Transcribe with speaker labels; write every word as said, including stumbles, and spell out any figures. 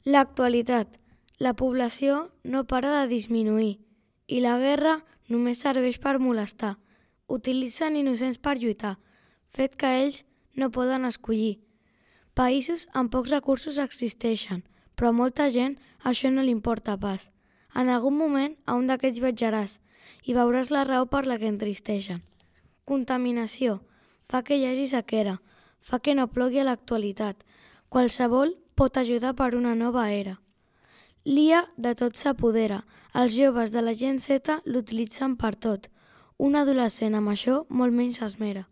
Speaker 1: L'actualitat. La població no para de disminuir i la guerra només serveix per molestar. Utilitzen innocents per lluitar, fet que ells no poden escollir. Països amb pocs recursos existeixen, però a molta gent això no li importa pas. En algun moment a un d'aquests viatjaràs i veuràs la raó per la que entristeixen. Contaminació. Fa que hi hagi sequera, fa que no plogui a l'actualitat. Qualsevol pot ajudar per una nova era. L'I A de tot s'apodera. Els joves de la Gen Z l'utilitzen per tot. Un adolescent amb això molt menys s'esmera.